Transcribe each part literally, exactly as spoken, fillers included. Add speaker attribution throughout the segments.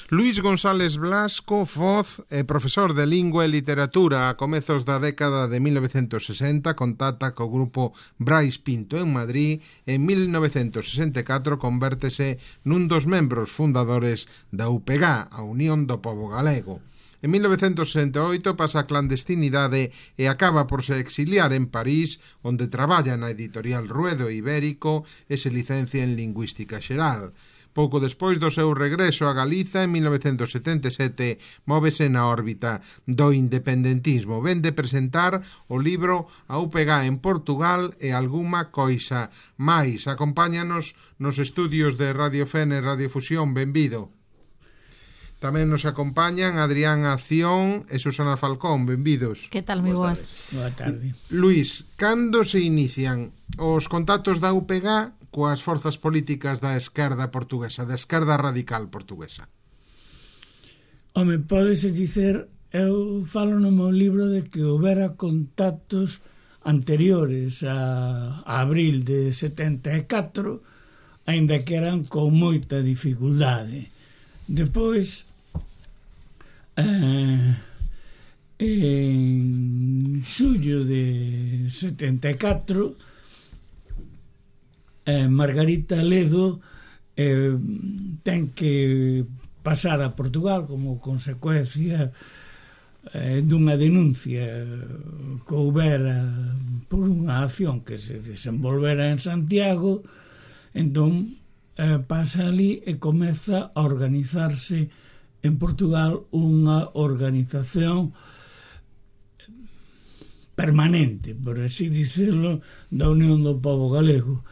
Speaker 1: Luís González Blasco, Foz, é profesor de Lingua e Literatura a comezos da década de mil novecentos sesenta, contacta co grupo Brais Pinto en Madrid e en mil novecentos sesenta e catro convértese nun dos membros fundadores da U P G A, a Unión do Pobo Galego. En mil novecentos sesenta e oito pasa a clandestinidade e acaba por se exiliar en París, onde traballa na editorial Ruedo Ibérico e se licencia en Lingüística Xeral. Pouco despois do seu regreso a Galiza, en mil novecentos setenta e sete, móvese na órbita do independentismo. Ven de presentar o libro A U P G A en Portugal e algunha coisa máis. Acompáñanos nos estudios de Radio Fene e Radio Fusión. Benvido. Tamén nos acompañan Adrián Acción e Susana Falcón. Benvidos.
Speaker 2: Que tal, moi boas?
Speaker 3: Boa tarde.
Speaker 1: Luís, cando se inician os contactos da U P G A coas forzas políticas da esquerda portuguesa, da esquerda radical portuguesa?
Speaker 3: Home, pódese dicer, eu falo no meu libro de que houbera contactos anteriores a, a abril de setenta e catro, aínda que eran con moita dificultade. Depois, eh, en xullo de setenta e catro, eh, Margarita Ledo eh, ten que pasar a Portugal como consecuencia eh, dunha denuncia que houbera por unha acción que se desenvolvera en Santiago. Entón eh, pasa ali e comeza a organizarse en Portugal unha organización permanente, por así dicirlo, da Unión do Pobo Galego,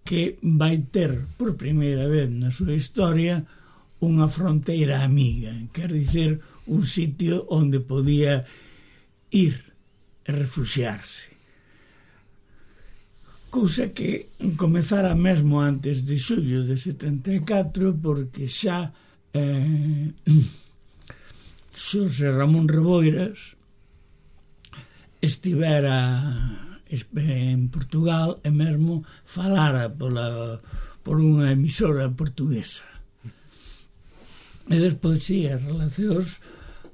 Speaker 3: que vai ter por primeira vez na súa historia unha fronteira amiga, quer dizer, un sitio onde podía ir e refuxiarse. Cousa que comezara mesmo antes de xullo de setenta e catro, porque xa eh, Xosé Ramón Reboiras estivera en Portugal e mesmo falara pola, por unha emisora portuguesa. E despois, sí, as relacións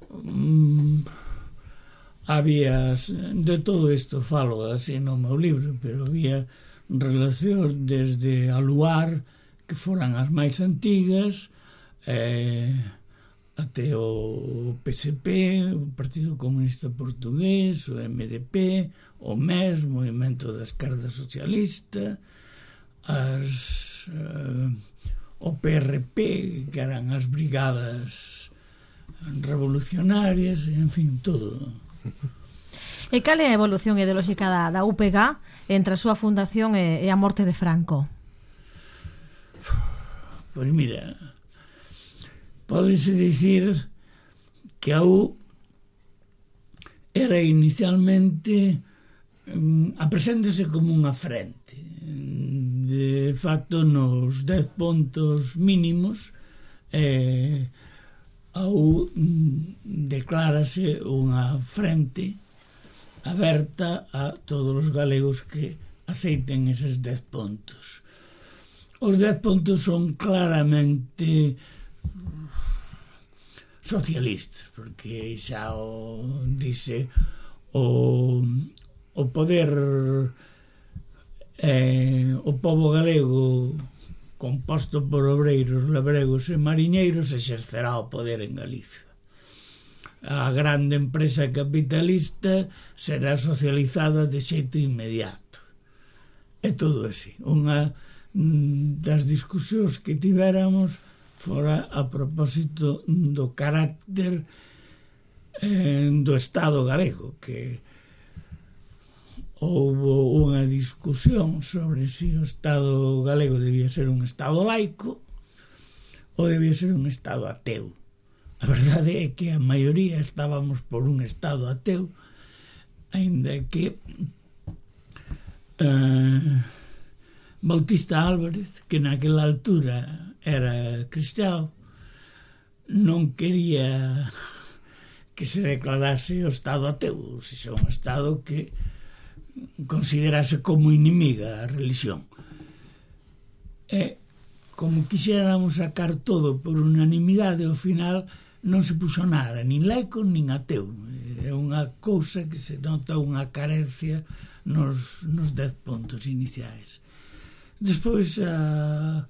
Speaker 3: mm, había de todo isto, falo así no meu libro, pero había relacións desde a Luar, que foran as máis antigas, eh, até o P S P, o Partido Comunista Portugués, o M D P, o M E S, o Movimento da Esquerda Socialista, as, eh, o P R P, que eran as brigadas revolucionarias, en fin, todo.
Speaker 2: E cal é a evolución ideolóxica da, da U P G A entre a súa fundación e, e a morte de Franco?
Speaker 3: Pois mira, pódese dicir que a U era inicialmente um, apreséntase como unha frente. De facto, nos dez pontos mínimos, eh, a U declárase unha frente aberta a todos os galegos que aceiten eses dez pontos. Os dez pontos son claramente socialistas, porque xa o dice o, o poder eh, o pobo galego composto por obreiros, labregos e mariñeiros exercerá o poder en Galicia. A grande empresa capitalista será socializada de xeito inmediato. É todo así. Unha das discusións que tivéramos fora a propósito do carácter eh, do Estado galego, que houbo unha discusión sobre se o Estado galego debía ser un Estado laico ou debía ser un Estado ateu. A verdade é que a maioría estábamos por un Estado ateu, aínda que eh, Bautista Álvarez, que naquela altura era cristián, non quería que se declarase o Estado ateu, se xa un Estado que considerase como inimiga a religión. E como quixéramos sacar todo por unanimidade, ao final non se puxo nada, nin laico, nin ateu. É unha cousa que se nota unha carencia nos, nos dez puntos iniciais. Despois, a,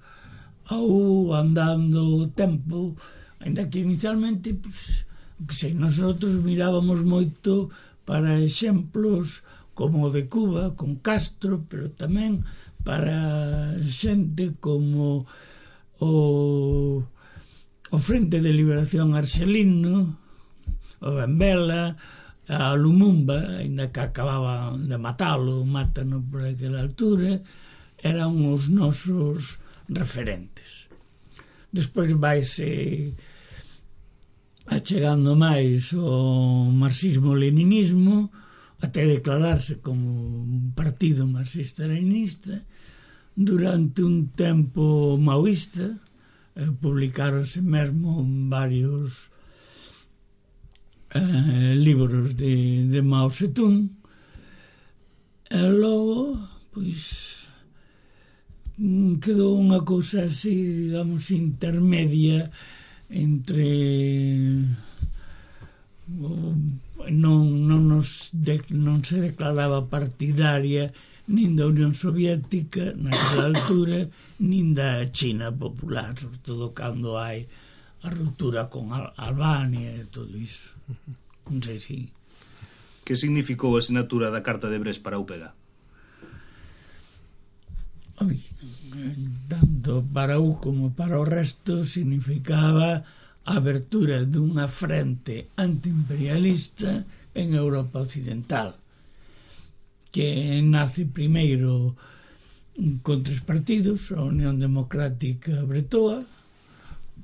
Speaker 3: ao andando o tempo, ainda que inicialmente, pues, que sei, nosotros mirábamos moito para exemplos como o de Cuba, con Castro, pero tamén para xente como o, o Frente de Liberación Arxelino, o Benvela, a Lumumba, ainda que acababan de matalo, mátano por aquela altura, eran os nosos referentes. Despois vaise achegando máis o marxismo-leninismo, até declararse como un partido marxista-leninista. Durante un tempo maoísta, eh, publicaronse mesmo varios eh, libros de, de Mao Zedong, e logo, pois, quedou unha cousa así, digamos, intermedia entre non, non, nos de, non se declaraba partidaria nin da Unión Soviética naquela altura, nin da China popular, sobre todo cando hai a ruptura con Al Albania e todo iso. Non sei se...
Speaker 4: Que significou a sinatura da Carta de Brest para a U P G?
Speaker 3: Oi, tanto para U como para o resto significaba a abertura dunha frente antiimperialista en Europa Occidental, que nace primeiro con tres partidos: a Unión Democrática Bretoa,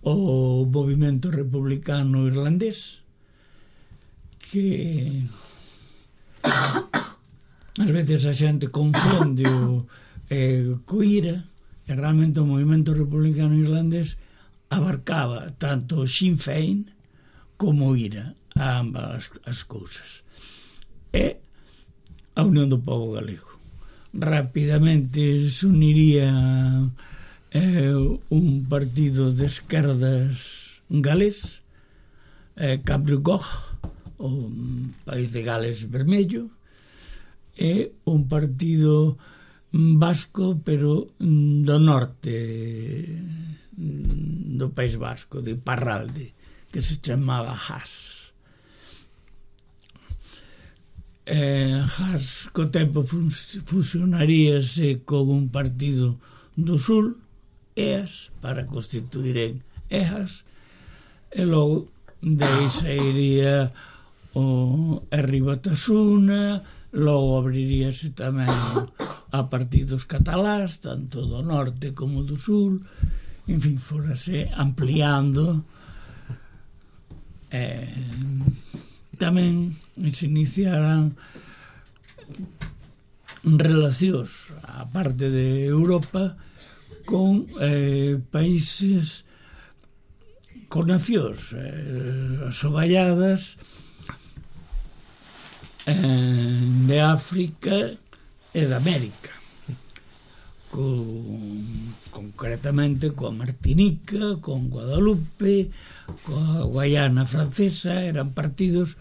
Speaker 3: o Movimento Republicano Irlandés, que ás veces a xente confunde o eh, co I R A, e realmente o Movimento Republicano Irlandés abarcaba tanto o Sinn Féin como o I R A, ambas as cousas, e a Unión do Pobo Galego. Rapidamente se uniría eh, un partido de esquerdas galés, eh, Cabrugog, o País de Gales Vermello, e un partido vasco, pero do norte do País Vasco, de Parralde, que se chamaba Haas. Eh, Haas co tempo fusionaríase con un partido do Sul, E A S, para constituir E A S, e logo de aí sairía o R Batasuna, logo abriríase tamén a partidos catalás, tanto do norte como do sul, en fin, fórase ampliando. Eh, tamén se iniciaran relacións, a parte de Europa, con eh, países, con nacións eh, asoballadas eh, de África e de América, con, concretamente coa Martinica, con Guadalupe, coa Guayana francesa. Eran partidos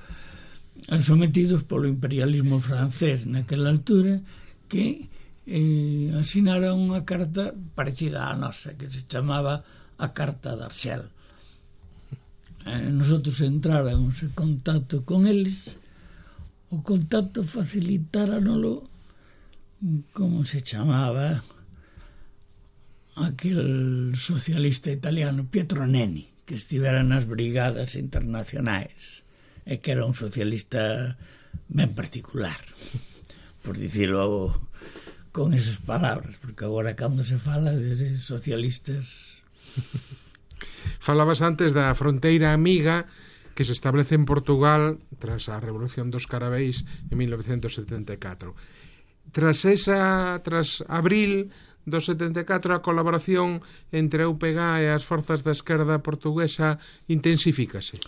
Speaker 3: sometidos polo imperialismo francés naquela altura, que eh, asinaron unha carta parecida á nosa, que se chamaba a Carta de Arxel. Eh, nosotros entráramos en contacto con eles, o contacto facilitáranolo, como se chamaba aquel socialista italiano, Pietro Nenni, que estivera nas brigadas internacionais e que era un socialista ben particular, por dicirlo con esas palabras, porque agora cando se fala de socialistas...
Speaker 1: Falabas antes da fronteira amiga que se establece en Portugal tras a Revolución dos Carabeis en mil novecentos setenta e catro. Tras esa, tras abril do setenta e catro, a colaboración entre a U P G e as forzas da esquerda portuguesa intensifícase.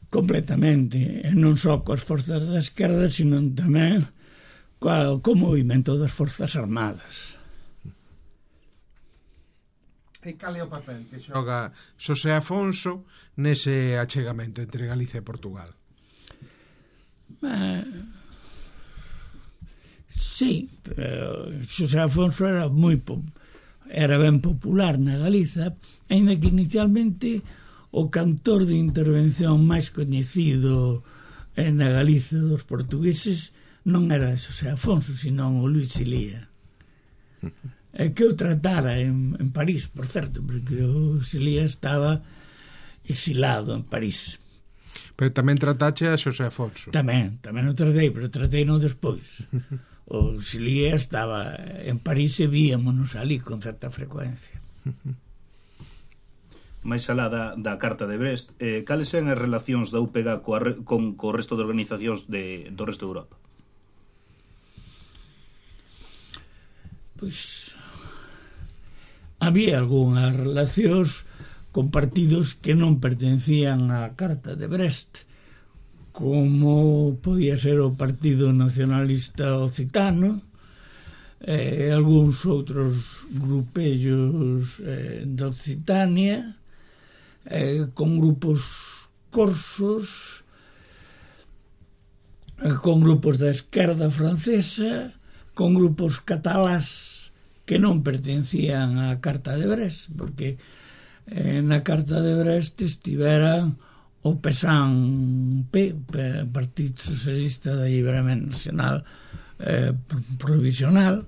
Speaker 3: Completamente, e non só coas forzas da esquerda, sino tamén co, co movimento das forzas armadas.
Speaker 1: E cal é o papel que xoga Xosé Afonso nese achegamento entre Galicia e Portugal?
Speaker 3: Eh, sí, eh, Xosé Afonso era moi era ben popular na Galiza, aínda que inicialmente o cantor de intervención máis coñecido na Galiza dos portugueses non era Xosé Afonso, senón o Luis Ilía. É que eu tratara en, en París, por certo, porque o Ilía estaba exilado en París.
Speaker 1: Pero tamén tratache a Xosé Afonso.
Speaker 3: Tamén, tamén o tratei, pero tratei non despois. O Ilía estaba en París e víamonos ali con certa frecuencia.
Speaker 4: máis alá da, da Carta de Brest, eh, cales eran as relacións da U P G coa, con, co resto de organizacións de, do resto de Europa?
Speaker 3: Pois había algunhas relacións con partidos que non pertencían á Carta de Brest, como podía ser o Partido Nacionalista Occitano, eh, algúns outros grupellos eh, de Occitania, eh, con grupos corsos, eh, con grupos da esquerda francesa, con grupos catalás que non pertencían á Carta de Brest, porque eh, na Carta de Brest estiveran o P S A N P, Partido Socialista de Alliberament Nacional eh, Provisional,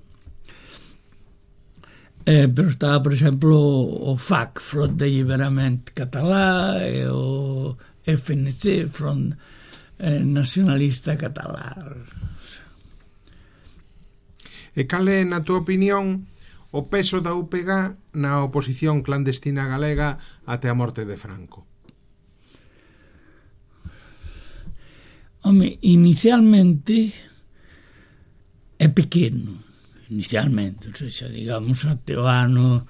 Speaker 3: eh, pero estaba, por exemplo, o F A C, Front de Alliberament Català, e o F N C, Front eh, Nacionalista Català.
Speaker 1: E cal é, na túa opinión, o peso da U P G na oposición clandestina galega até a morte de Franco?
Speaker 3: Home, inicialmente é pequeno, inicialmente, ou seja, digamos, até o ano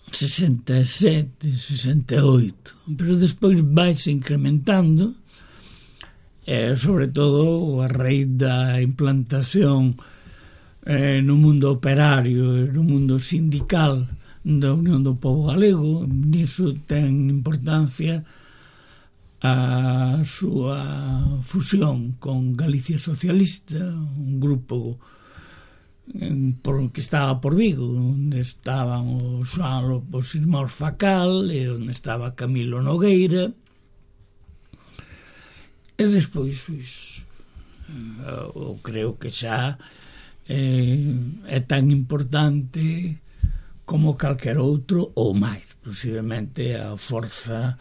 Speaker 3: sesenta e sete, sesenta e oito, pero despois vai-se incrementando, eh, sobre todo a raíz da implantación eh, no mundo operario e no mundo sindical da Unión do Pobo Galego. Niso ten importancia a súa fusión con Galicia Socialista, un grupo por, que estaba por Vigo, onde estaban o Xoán López Ismor Facal e onde estaba Camilo Nogueira, e despois pois, eu creo que xa eh, é tan importante como calquer outro ou máis, posiblemente a forza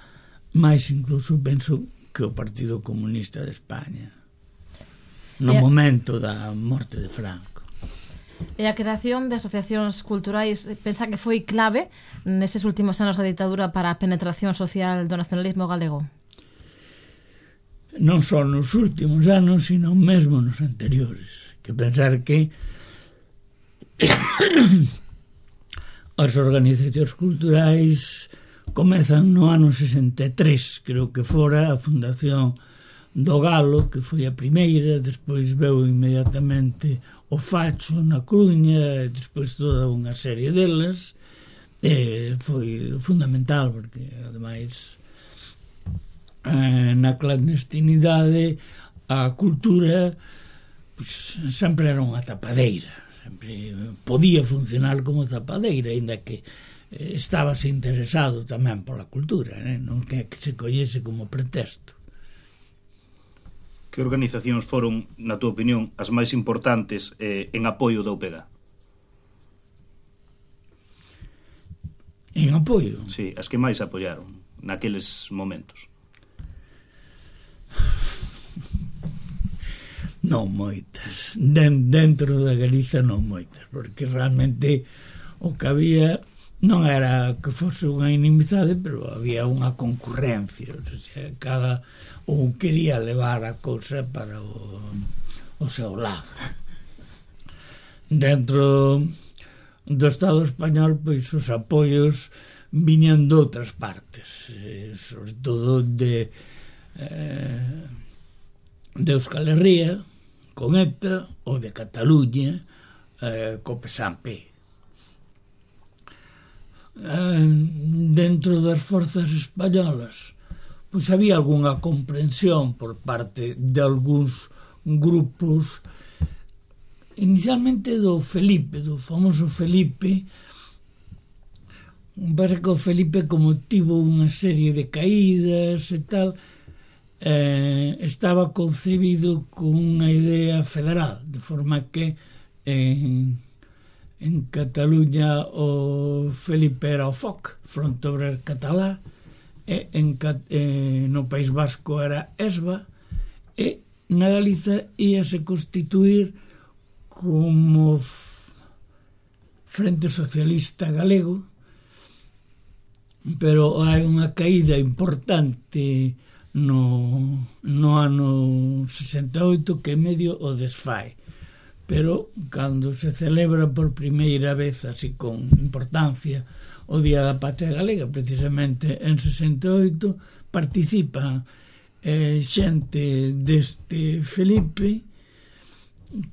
Speaker 3: máis incluso penso que o Partido Comunista de España no e momento da morte de Franco.
Speaker 2: E a creación de asociacións culturais pensa que foi clave neses últimos anos da ditadura para a penetración social do nacionalismo galego?
Speaker 3: Non só nos últimos anos, sino mesmo nos anteriores. Que pensar que as organizacións culturais comezan no ano sesenta e tres, creo que fora a Fundación do Galo, que foi a primeira, despois veu inmediatamente o Facho na Coruña, e despois toda unha serie delas, e foi fundamental, porque ademais eh, na clandestinidade a cultura pues, sempre era unha tapadeira, sempre podía funcionar como tapadeira, ainda que estábase interesado tamén pola cultura, eh? Non que se collese como pretexto.
Speaker 4: Que organizacións foron, na túa opinión, as máis importantes eh, en apoio da U P G?
Speaker 3: En apoio?
Speaker 4: Sí, as que máis apoiaron naqueles momentos.
Speaker 3: Non moitas. Den, dentro da Galiza non moitas, porque realmente o que había non era que fose unha inimizade, pero había unha concurrencia, o sea, cada ou quería levar a cousa para o, o seu lado. Dentro do Estado español, pois os apoios viñan de outras partes, eh, sobre todo de eh, de Euskal Herria con ETA, ou de Cataluña eh, co P S A N P. eh, dentro das forzas españolas pois había algunha comprensión por parte de algúns grupos, inicialmente do Felipe, do famoso Felipe. Parece que o Felipe, como tivo unha serie de caídas e tal, eh, estaba concebido con unha idea federal, de forma que en, en Cataluña o Felipe era o F O C, Front Obrer Catalá, e en, eh, no País Vasco era ESBA, e na Galiza íase constituir como Frente Socialista Galego, pero hai unha caída importante no, no ano sesenta e oito que medio o desfai, pero cando se celebra por primeira vez así con importancia o Día da Patria Galega, precisamente en sesenta e oito, participa eh, xente deste Felipe,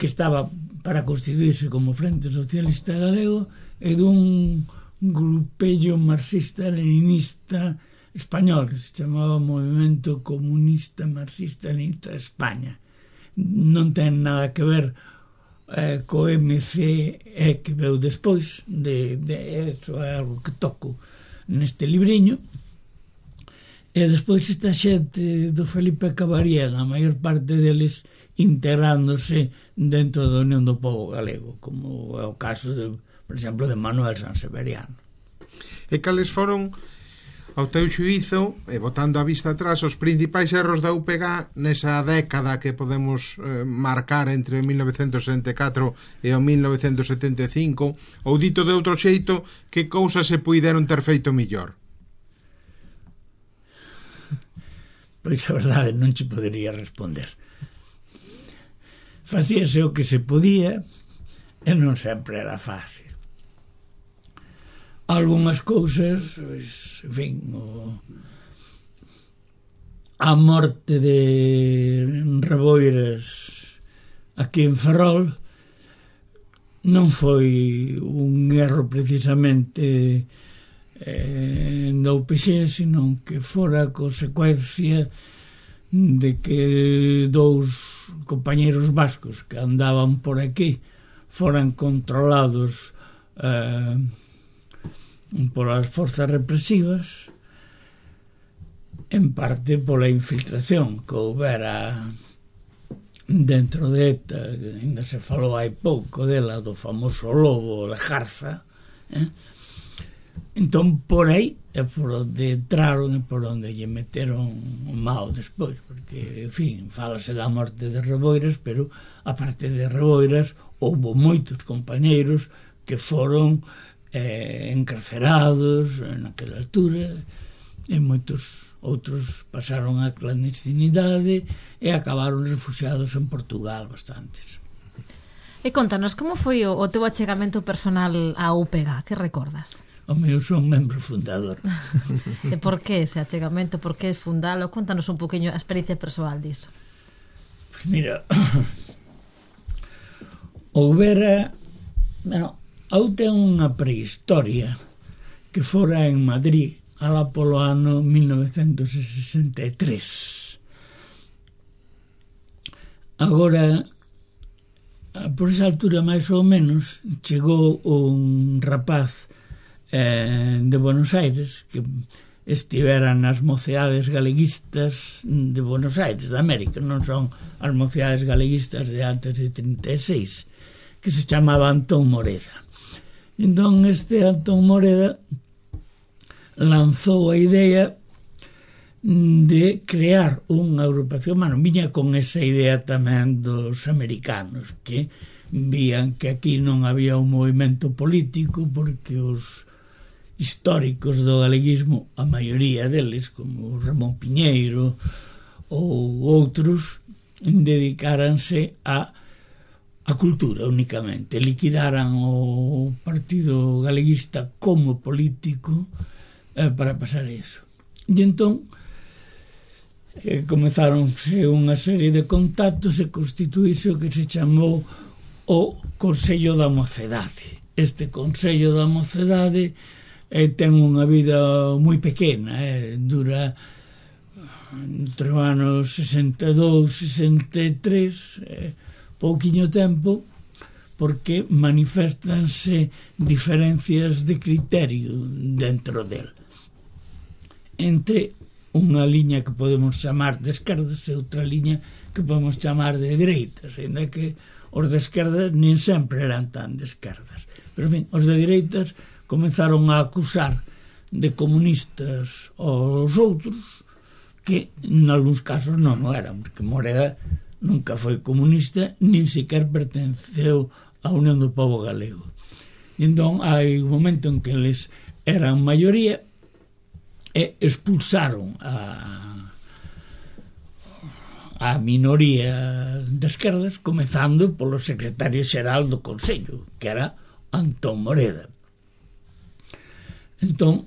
Speaker 3: que estaba para constituirse como Frente Socialista Galego, e dun grupello marxista-leninista español que se chamaba Movimento Comunista Marxista-Leninista de España. Non ten nada que ver eh, co M C E que veu despois de, de eso, é algo que toco neste libriño. E despois esta xente do Felipe acabaría, a maior parte deles integrándose dentro da Unión do Pobo Galego, como é o caso de, por exemplo, de Manuel Sanseveriano.
Speaker 1: E cales foron, ao teu xuízo, e botando a vista atrás, os principais erros da U P G nesa década que podemos eh, marcar entre mil novecentos sesenta e catro e o mil novecentos setenta e cinco, ou dito de outro xeito, que cousas se puideron ter feito millor?
Speaker 3: Pois a verdade non che podería responder. Facíase o que se podía e non sempre era fácil. Algúnas cousas, pois, en fin, o, a morte de Reboiras aquí en Ferrol non foi un erro precisamente eh, da U P X, senón que fora consecuencia de que dous compañeros vascos que andaban por aquí foran controlados eh, por as forzas represivas, en parte pola infiltración que houbera dentro de ETA, que ainda se falou hai pouco dela, do famoso lobo Lejarza, eh? Entón por aí é por onde entraron e por onde lle meteron o mao despois, porque, en fin, fálase da morte de Reboiras, pero aparte de Reboiras houbo moitos compañeiros que foron eh, encarcerados naquela altura, e moitos outros pasaron a clandestinidade e acabaron refugiados en Portugal bastantes.
Speaker 2: E contanos, como foi o, o teu achegamento personal á U P G? Que recordas?
Speaker 3: O meu son membro fundador.
Speaker 2: E por que ese achegamento? Por que fundalo? Contanos un poquinho a experiencia persoal diso.
Speaker 3: Pois mira, houbera, bueno, eu ten unha prehistoria que fora en Madrid alá polo ano mil novecentos sesenta e tres. Agora, por esa altura máis ou menos, chegou un rapaz eh, de Buenos Aires que estivera nas moceades galeguistas de Buenos Aires, de América, non son as moceades galeguistas de antes de trinta e seis, que se chamaba Antón Moreda. Entón este Antón Moreda lanzou a idea de crear unha agrupación, bueno, viña con esa idea tamén dos americanos, que vían que aquí non había un movimento político porque os históricos do galeguismo, a maioría deles, como Ramón Piñeiro ou outros, dedicáranse a a cultura únicamente, liquidaran o Partido Galeguista como político eh, para pasar eso. E entón eh, comezáronse unha serie de contactos e constituíse o que se chamou o Consello da Mocedade. Este Consello da Mocedade e ten unha vida moi pequena, eh, dura entre os anos sesenta e dous e sesenta e tres, eh, pouquiño tempo, porque manifestanse diferencias de criterio dentro del. Entre unha liña que podemos chamar de esquerdas e outra liña que podemos chamar de dereitas, ainda que os de esquerdas nin sempre eran tan de esquerdas. Pero, en fin, os de dereitas comenzaron a acusar de comunistas aos outros, que, en algúns casos, non o eran, porque Moreda nunca foi comunista, nin sequer pertenceu a Unión do Pobo Galego. E entón, hai un momento en que eles eran maioría e expulsaron a, a minoría de esquerdas, comezando polo secretario xeral do Consello, que era Antón Moreda. Entón,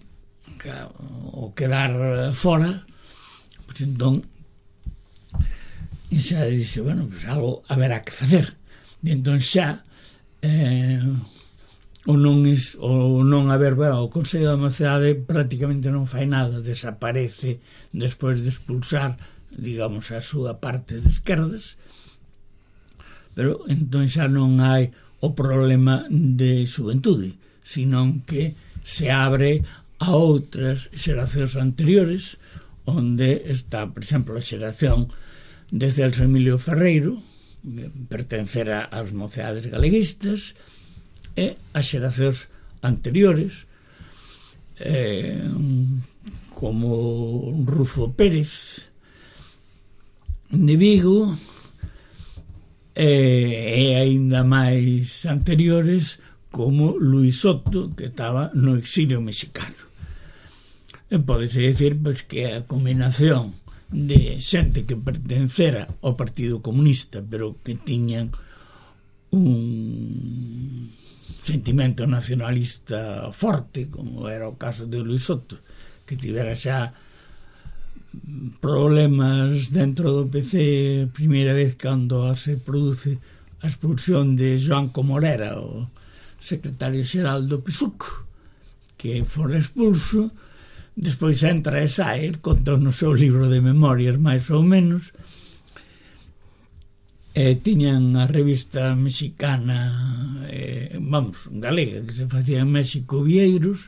Speaker 3: o quedar fora, pois entón, e xa dixe, bueno, pois algo haberá que facer. E entón xa, eh, o non es, o non haber, bueno, o Consello da Mocidade prácticamente non fai nada, desaparece despois de expulsar, digamos, a súa parte de esquerdas, pero entón xa non hai o problema de xuventude, senón que se abre a outras xeracións anteriores, onde está, por exemplo, a xeración de Celso Emilio Ferreiro, pertencera ás mocidades galeguistas, e as xeracións anteriores, eh, como Rufo Pérez de Vigo, e, e aínda máis anteriores como Luis Soto, que estaba no exilio mexicano. E podese dicir, pois, que a combinación de xente que pertencera ao Partido Comunista, pero que tiñan un sentimento nacionalista forte, como era o caso de Luis Soto, que tivera xa problemas dentro do P C a primeira vez cando se produce a expulsión de Joan Comorera, o secretario xeral do P S U C, que fora expulso. Despois entra e sae, conta no seu libro de memorias máis ou menos, e tiñan a revista mexicana, eh, vamos, galega, que se facía en México, Vieiros,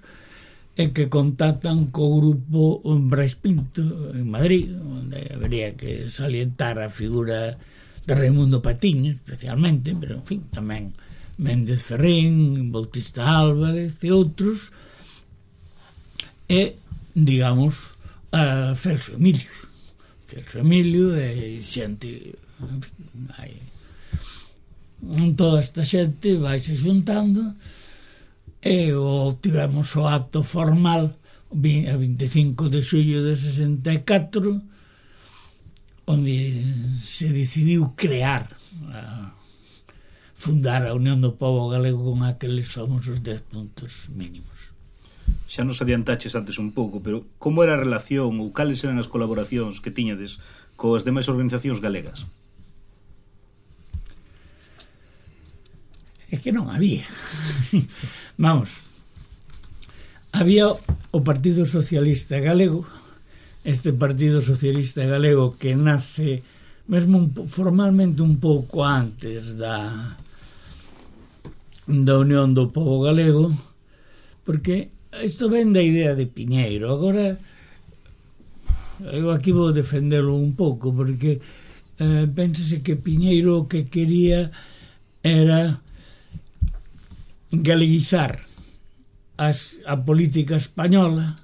Speaker 3: e que contactan co grupo Brais Pinto en Madrid, onde habería que salientar a figura de Raimundo Patiño especialmente, pero en fin, tamén Méndez Ferrín, Bautista Álvarez e outros, e, digamos, a Celso Emilio Celso Emilio e xente, en fin, hai toda esta xente vai se xuntando, e o tivemos o acto formal a vinte e cinco de xullo de sesenta e catro, onde se decidiu crear a, fundar a Unión do Pobo Galego con aqueles famosos dez puntos mínimos.
Speaker 4: Xa nos adiantaches antes un pouco, pero como era a relación ou cales eran as colaboracións que tiñades coas demais organizacións galegas?
Speaker 3: É que non había. Vamos, había o Partido Socialista Galego, este Partido Socialista Galego que nace mesmo un, formalmente un pouco antes da da Unión do Pobo Galego, porque isto ven da idea de Piñeiro. Agora eu aquí vou defenderlo un pouco, porque eh, pénsase que Piñeiro o que quería era galeguizar as, a política española,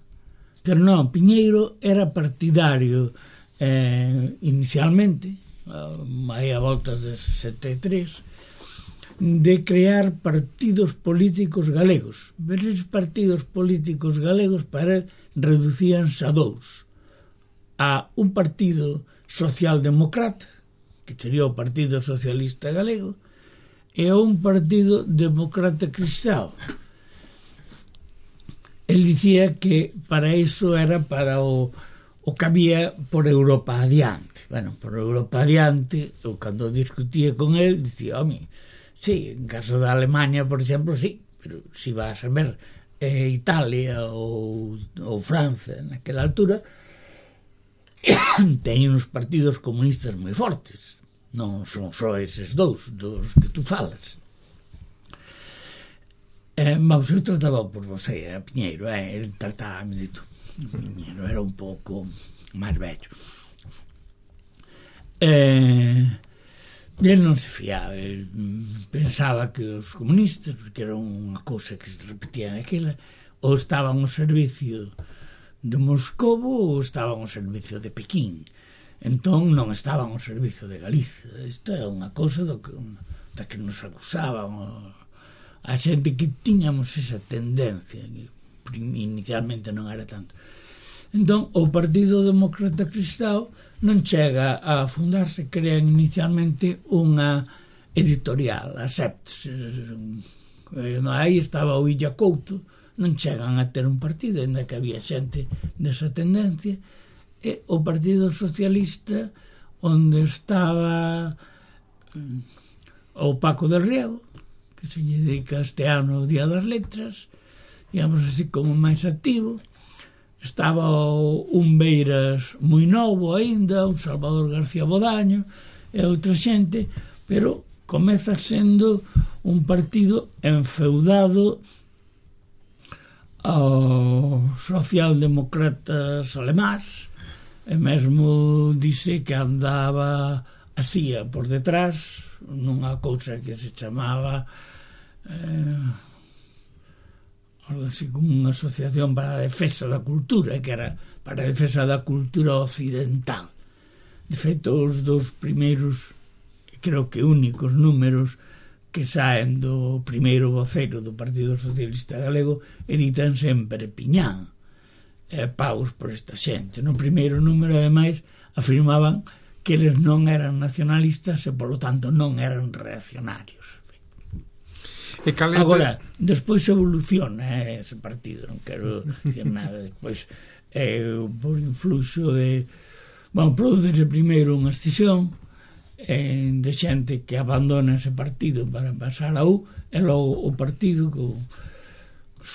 Speaker 3: pero non, Piñeiro era partidario eh, inicialmente, aí a voltas de sesenta e tres, de crear partidos políticos galegos. Pero esos partidos políticos galegos para él reducíanse a dous: a un partido socialdemócrata, que sería o Partido Socialista Galego, e a un partido demócrata cristão. El dicía que para iso era para o, o que había por Europa adiante. Bueno, por Europa adiante, eu cando discutía con el, dicía, home, sí, en caso da Alemania, por exemplo, sí, pero si vas a ver e Italia ou, ou Francia naquela altura teñen uns partidos comunistas moi fortes, non son só eses dous dos que tú falas. Eh, mas eu trataba por você, a Piñeiro, eh, ele trataba de tú. Piñeiro era un pouco máis vello. Eh, ele non se fiaba, ele pensaba que os comunistas, porque era unha cousa que se repetía naquela, ou estaban ao servicio de Moscovo ou estaban ao servicio de Pequín. Entón non estaban ao servicio de Galicia. Isto é unha cousa do que, da que nos acusaban a xente que tiñamos esa tendencia, que inicialmente non era tanto. Entón, o Partido Demócrata Cristão non chega a fundarse, crean inicialmente unha editorial, a Septs. Aí estaba o Illa Couto, non chegan a ter un partido, ainda que había xente desa tendencia, e o Partido Socialista, onde estaba o Paco del Riego, que se lle dedica este ano o Día das Letras, digamos así como máis activo. Estaba un Beiras moi novo aínda, un Salvador García Bodaño e outra xente, pero comeza sendo un partido enfeudado aos socialdemócratas alemáns, e mesmo dice que andaba a C I A por detrás nunha cousa que se chamaba eh, algo así como unha asociación para a defensa da cultura, que era para a defensa da cultura occidental. De feito, os dos primeiros, creo que únicos números que saen do primeiro voceiro do Partido Socialista Galego editan sempre Piñán, e paus por esta xente. No primeiro número, ademais, afirmaban que eles non eran nacionalistas e, polo tanto, non eran reaccionarios.
Speaker 1: E calente...
Speaker 3: Agora, despois evoluciona eh, ese partido, non quero dicir nada. Despois, eh, por influxo de... Bueno, produce primeiro unha escisión eh, de xente que abandona ese partido para pasar a U, e logo o partido co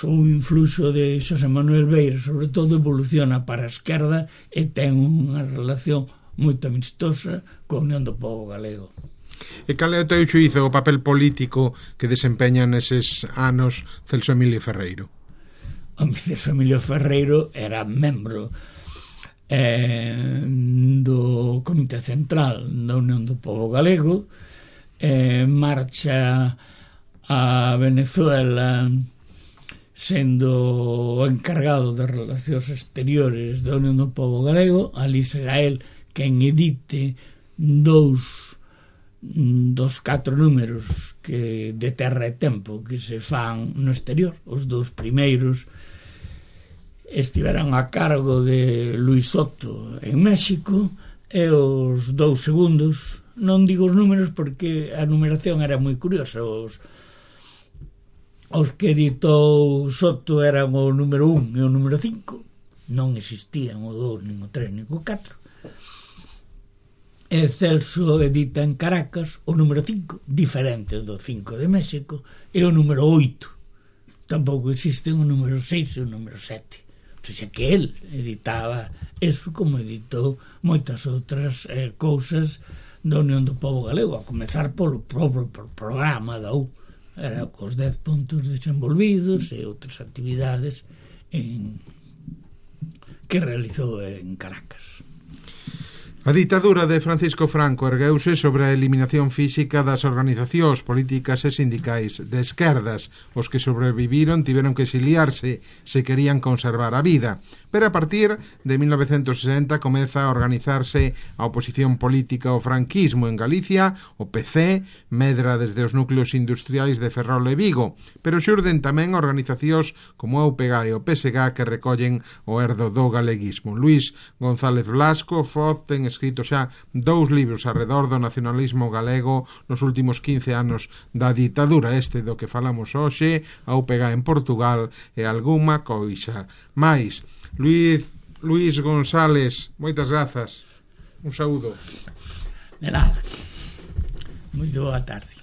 Speaker 3: o influxo de Xosé Manuel Beira, sobre todo, evoluciona para a esquerda e ten unha relación moito amistosa coa Unión do Pobo Galego.
Speaker 1: E cal é o teu xuízo o papel político que desempeña neses anos Celso Emilio Ferreiro?
Speaker 3: O Celso Emilio Ferreiro era membro eh, do Comité Central da Unión do Pobo Galego, eh, marcha a Venezuela sendo o encargado de relacións exteriores da Unión do Pobo Galego. Ali será el quen edite dous dos catro números que de Terra e Tempo que se fan no exterior. Os dous primeiros estiveran a cargo de Luis Soto en México, e os dous segundos, non digo os números porque a numeración era moi curiosa, os os que editou Soto eran o número un e o número cinco, non existían o dous, nin o tres, nin o catro. E Celso edita en Caracas o número cinco, diferente do cinco de México, e o número oito. Tampouco existen o número seis e o número sete. O sea que el editaba eso, como editou moitas outras eh, cousas da Unión do Pobo Galego, a comezar polo propio programa da U. Era cos dez puntos desenvolvidos e outras actividades en... que realizou en Caracas.
Speaker 1: A ditadura de Francisco Franco ergueuse sobre a eliminación física das organizacións políticas e sindicais de esquerdas. Os que sobreviviron tiveron que exiliarse se querían conservar a vida. Pero a partir de mil novecentos sesenta comeza a organizarse a oposición política ao franquismo en Galicia. O P C medra desde os núcleos industriais de Ferrol e Vigo, pero xurden tamén organizacións como a U P G e o P S G que recollen o herdo do galeguismo. Luís González Blasco Foz ten escrito xa dous libros arredor do nacionalismo galego nos últimos quince anos da ditadura, este do que falamos hoxe, a U P G en Portugal e algunha coisa máis. Luís, Luís González, moitas grazas. Un saúdo.
Speaker 3: De nada. Moito boa tarde.